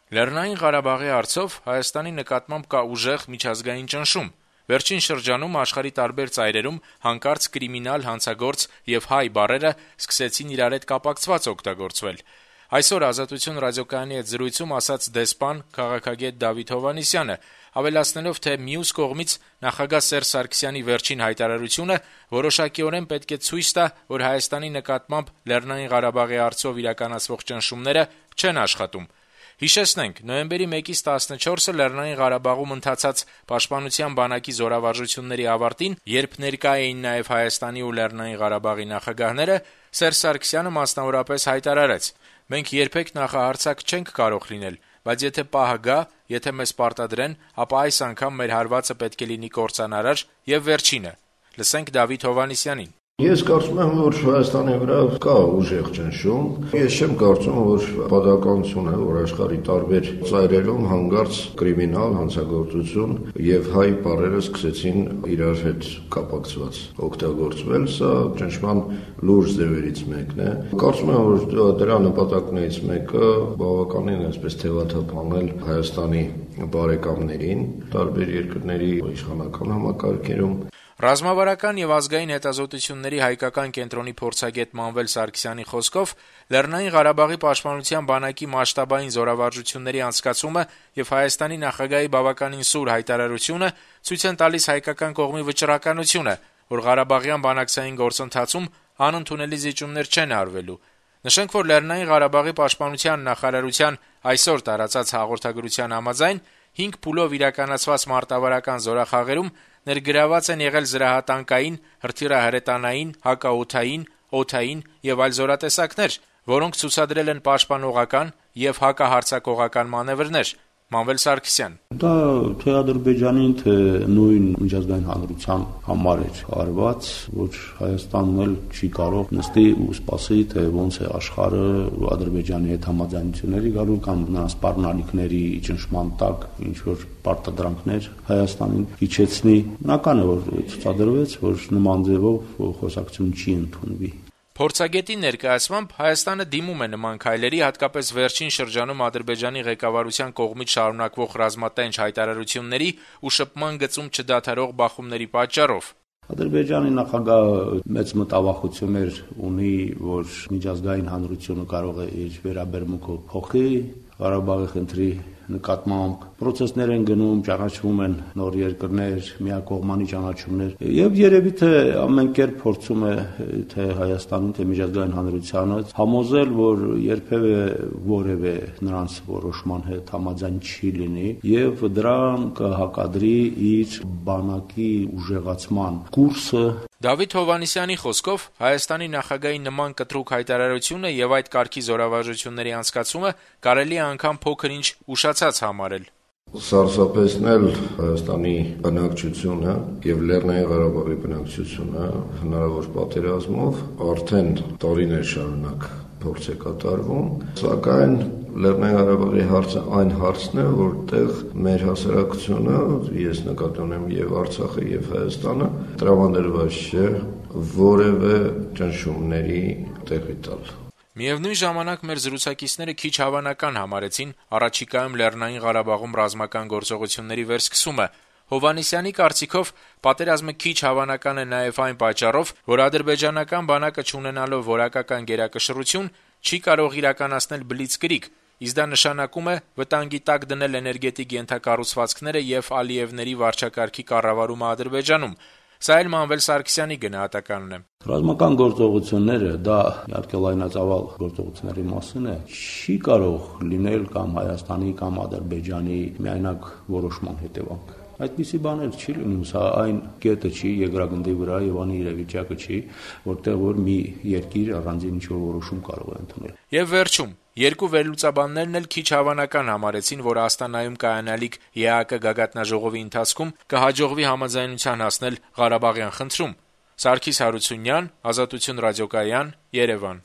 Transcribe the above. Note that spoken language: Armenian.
Լեռնային Ղարաբաղի հարցով Հայաստանի նկատմամբ կա ուժեղ միջազգային ճնշում։ Վերջին շրջանում աշխարհի տարբեր ծայրերում հանկարծ կրիմինալ, հանցագործ եւ հայ բառերը սկսեցին իրար հետ կապակցված օգտագործվել։ Այսօր «Ազատություն» ռադիոկայանի հետ զրույցում ասաց դեսպան, քաղաքագետ Դավիթ Հովհաննիսյանը, ավելացնելով, թե մյուս կողմից նախագահ Սերժ Սարգսյանի վերջին հայտարարությունը որոշակիորեն պետք է ցույց տա, որ Հայաստանի նկատմամբ Լեռնային Ղարաբաղի հարցով իրականացվող ճնշումները չեն աշխատում։ Հիշեցնենք, նոյեմբերի 1-ից 14-ը Լեռնային Ղարաբաղում ընթացած Պաշտպանության բանակի զորավարժությունների ավարտին, երբ ներկա էին նաև Հայաստանի ու Լեռնային Ղարաբաղի նախագահները, Սերժ Սարգսյանը մասնավորապես հայտարարեց. «Մենք երբեք նախահարձակ չենք կարող լինել, բայց եթե պահը գա, եթե մեզ պարտադրեն, ապա այս անգամ մեր հարվածը պետք է լինի կործանարար եւ վերջինը»։ Լսենք Դավիթ Հովհաննիսյանին։ Ես կարծում եմ, որ Հայաստանի վրա կա ուժեղ ճնշում։ Ես չեմ կարծում, որ պատահականություն է, որ աշխարհի տարբեր ծայրերում հանկարծ կրիմինալ, հանցագործություն եւ հայ բառերը սկսեցին իրար հետ կապակցված օգտագործվել։ Սա ճնշման լուրջ ձևերից մեկն է։ Կարծում եմ, որ դրա նպատակներից մեկը բավականին այսպես թեւաթափանել Հայաստանի բարեկամներին տարբեր երկրների իշխանական համակարգերում։ Ռազմավարական եւ ազգային հետազոտությունների հայկական կենտրոնի փորձագետ Մանվել Սարգսյանի խոսքով Լեռնային Ղարաբաղի պաշտպանության բանակի մասշտաբային զորավարժությունների անցկացումը եւ Հայաստանի նախագահի բավականին սուր հայտարարությունը ցույց են տալիս հայկական կողմի վճռականությունը, որ Ղարաբաղյան բանակցային գործընթացում անընդունելի զիջումներ չեն արվելու։ Նշենք, որ Լեռնային Ղարաբաղի պաշտպանության նախարարության այսօր տարածած հաղորդագրության համաձայն 5 փուլով իրականացված մարտավարական զորախաղերում ներգրաված են եղել զրահատանկային, հրթիռահրետանային, հակաօդային, օդային եւ այլ զորատեսակներ, որոնք ցուցադրել են պաշտպանողական եւ հակահարձակողական մանեւրներ։ Մանվել Սարգսյան. Դա թե Ադրբեջանին, թե նույն միջազգային հանրության համար էր արված, որ Հայաստանն էլ չի կարող նստի ու սպասի, թե ոնց է աշխարհը Ադրբեջանի հետ համաձայնությունների գալու կամ նրանց սպառնալիքների ճնշման տակ ինչ որ պարտադրանքներ Հայաստանին իջեցնի։ Բնական է, որ ցուցադրվեց, որ նման ձևով խոսակցություն չի ընդունվի։ Փորձագետի ներկայացմամբ Հայաստանը դիմում է նման քայլերի, հատկապես վերջին շրջանում Ադրբեջանի ղեկավարության կողմից շարունակվող ռազմատենչ հայտարարությունների ու շփման գծում չդադարող բախումների պատճառով։ Ադրբեջանի նախագահը մեծ մտավախություններ ունի, որ միջազգային հանրությունը կարող է իր վերաբերմունքը փոխի Ղարաբաղի խնդրի նկատմամբ procesներ են գնում, ճանաչվում են նոր երկրներ, միակողմանի ճանաչումներ եւ երևի թե ամեն կերպ փորձում է թե Հայաստանին, թե միջազգային հանրությանը համոզել, որ երբևէ որևէ նրանց որոշման հետ համաձայն չի լինի եւ դրան կհակադրի իր բանակի ուժեղացման կուրսը։ Դավիթ Հովհաննիսյանի խոսքով Հայաստանի նախագահի նման կտրուկ հայտարարությունը եւ այդ կարգի զորավարժությունների անցկացումը կարելի է անգամ փոքր-ինչ ուշացած համարել։ Սարսափեցնել Հայաստանի բնակչությունը եւ Լեռնային Ղարաբաղի բնակչությունը հնարավոր պատերազմով արդեն տարիներ շարունակ փորձ է կատարվում, սակայն Լեռնային Ղարաբաղի հարցը այն հարցն է, որտեղ մեր հասարակությունը, ես նկատի ունեմ եւ Արցախը եւ Հայաստանը, տրամադրված չէ որևէ ճնշումների տեղի տալ։ Միևնույն ժամանակ մեր զրուցակիցները քիչ հավանական համարեցին առաջիկայում Լեռնային Ղարաբաղում ռազմական գործողությունների վերսկսումը։ Հովհաննիսյանի կարծիքով պատերազմը քիչ հավանական է նաև այն պատճառով, որ ադրբեջանական բանակը չունենալով որակական գերակշռություն չի կարող իրականացնել բլիցկրիգ, իսկ դա նշանակում է վտանգի տակ դնել էներգետիկ ենթակառուցվածքները եւ Ալիևների վարչակարգի կառավարումը Ադրբեջանում։ Սա էլ Մանվել Սարգսյանի գնահատականն է։ Ռազմական գործողությունները, դա իհարկե լայնածավալ գործողությունների մասին է, չի կարող լինել կամ Հայաստանի կամ Ադրբեջանի միայնակ որոշման հետևանք։ Այդպիսի բաներ չի լինում, սա այն կետը չի երկրագնդի վրա եւ անի իրավիճակը չի, որտեղ որ մի երկիր առանձին ինչ-որ որոշում կարող է ընդունել։ Եվ վերջում, երկու վերլուծաբաններն էլ քիչ հավանական համարեցին, որ Աստանայում կայանալիք ԵԱՀԿ գագաթնաժողովի ընթացքում կհաջողվի համաձայնության հասնել Ղարաբաղյան խնդրում։ Սարգիս Հարությունյան, Ազատություն ռադիոկայան, Երևան։